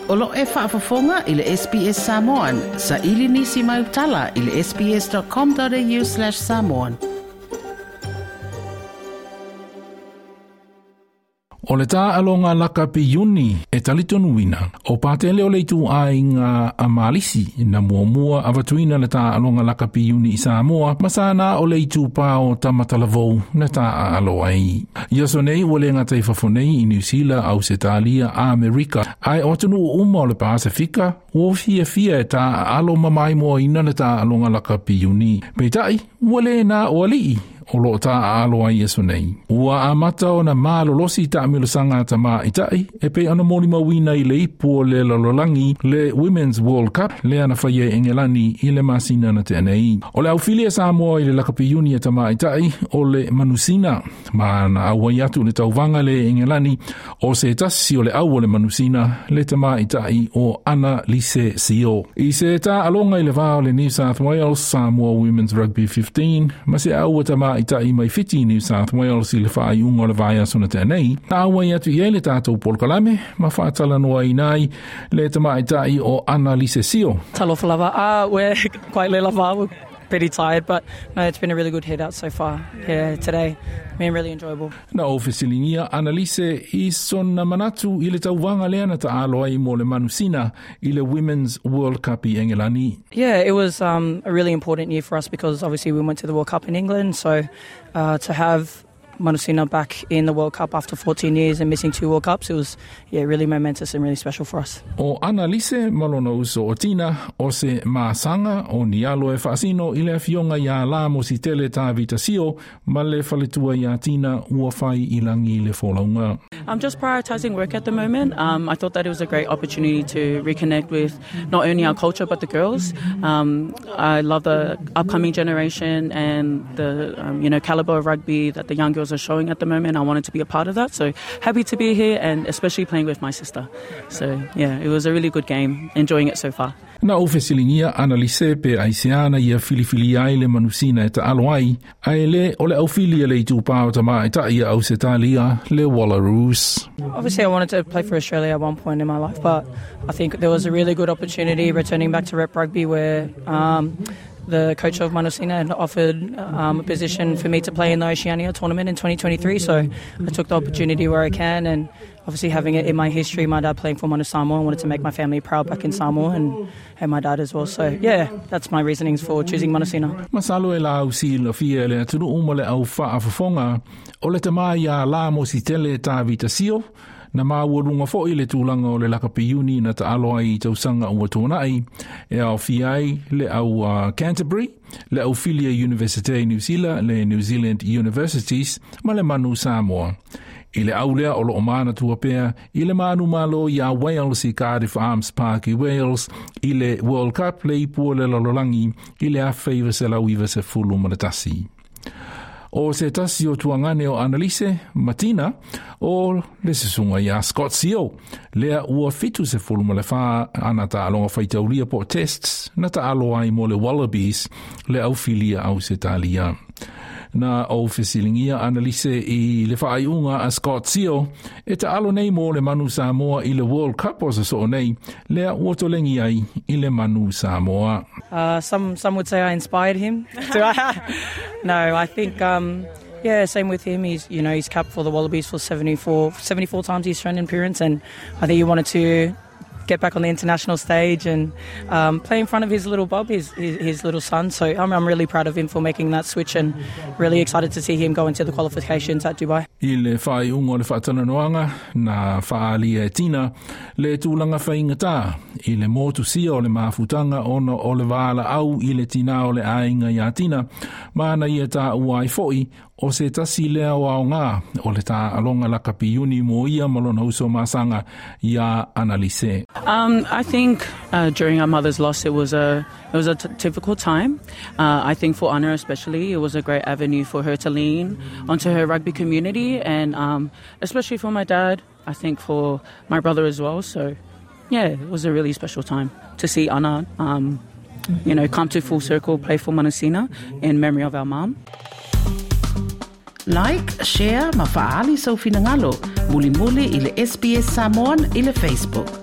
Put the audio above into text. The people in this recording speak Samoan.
O lo e faafofoga i le SBS Samoan. Saili nisi mau tala i le sbs.com.au/samoan. O le tāaloga lakapi Iuni e talitonuina, o Patele o le ituaiga a Malisi na muamua avatuina le tāaloga lakapi Iuni i Samoa ma sa na o le itupā o Tamatalavou na taaalo ai. I aso nei ua le gata i fafo nei i Niu Sila, Ausetalia, Amerika, ae o atunuu uma o le Pasefika ua fiafia e taaalo ma maimoaina le tāaloga lakapi Iuni. Peitai, ua le na o alii o loo taaalo ai i aso nei. Ua amata ona malolosi taamilosaga a tamaitai e pei ona molimauina i le ipu o le lalolagi le Women's World Cup lea na faia i Engelani i le masina na tea nei. O le aufili a Samoa i le lakapi Iuni a tamaitai o le Manusina ma na auai atu i le tauvaga le Engelani o se tasi o le au o le Manusina le tamaitai o Ana Lise Sio. I se taaloga i le va o le New South Wales Samoa Women's Rugby 15 ma se au a tamaitai mai Fiti New South Wales i le faaiuga o le vaiaso na tea nei, na auai atu i ai le tatou polokalame ma faatalanoaina ai le tamaitai o Ana Lise Sio. Talofa lava. We're quite le lava. We're pretty tired, but no, it's been a really good head out so far. Yeah, today, been really enjoyable. Na ou fesiligia Analise i sona manatu i le tauvaga lea na taalo ai mo le Manusina i le Women's World Cup i Engelani. Yeah, it was a really important year for us because obviously we went to the World Cup in England, so to have Manusina back in the World Cup after 14 years and missing 2 World Cups, it was really momentous and really special for us. O Analise ma lona uso o Tina o se masaga o ni alo e faasino i le afioga iā Lamositele Tavita Sio ma le faletua iā Tina ua fai i lagi le folauga. I'm just prioritising work at the moment. I thought that it was a great opportunity to reconnect with not only our culture but the girls. I love the upcoming generation and the caliber of rugby that the young girls are showing at the moment. I wanted to be a part of that, so happy to be here and especially playing with my sister. So yeah, it was a really good game, enjoying it so far. Na ou fesiligia Analise pe aisea na ia filifilia ai le Manusina e taalo ai, ae le o le aufili a le itupā o tamaitai a Ausetalia le Wallaroos. Obviously I wanted to play for Australia at one point in my life, but I think there was a really good opportunity returning back to rep rugby where the coach of Manusina had offered a position for me to play in the Oceania tournament in 2023, so I took the opportunity where I can, and obviously having it in my history, my dad playing for Manu Samoa, I wanted to make my family proud back in Samoa and my dad as well. So yeah, that's my reasonings for choosing Manusina. Masalo e la au silafia le atunuu ma le au faafofoga o le tama iā Lamositele Tavita Sio, na maualuga foi le tulaga o le lakapi Iuni na taalo ai i tausaga ua tuanai e aofia ai le au Canterbury, le aufili a Universite i Niu Sila, le New Zealand Universities ma le Manu Samoa. I le au lea o loo manatua pea i le manumalo iā Wales i Cardiff Arms Park i Wales i le World Cup le ipu o le lalolagi i le 1991. O se tasi o tuagane o Analise ma Tina o le susuga iā Scott Sio, lea ua 74 ana taaloga faitaulia po o tests na taalo ai mo le Wallabies le aufilia Ausetalia. Na ou fesiligia Analise i le faaiuga a Scott Sio e taalo nei mo le Manu Samoa i le World Cup o se soo nei, lea ua tolegi ai i le Manu Samoa. Some would say I inspired him. No, I think, yeah, same with him. He's, you know, he's capped for the Wallabies for 74 times he's shown an appearance, and I think he wanted to get back on the international stage and play in front of his little Bob, his little son. So I'm really proud of him for making that switch and really excited to see him go into the qualifications at Dubai. I le faaiuga o le faatalanoaga na faaalia e Tina le tulaga faigata i le motusia o le mafutaga ona o le valaau i le tinā o le aiga iā Tina ma na ia taua ai foi o se tasi lea o aoga o le tāaloga lakapi Iuni mo ia ma lona uso masaga iā Analise. I think during our mother's loss it was a difficult time. I think for Anna especially, it was a great avenue for her to lean onto her rugby community, and especially for my dad, I think for my brother as well. So yeah, it was a really special time to see Anna come to full circle, play for Manusina in memory of our mum. Like, share ma faaali sou finagalo. Mulimuli i le SBS Samoan i le Facebook.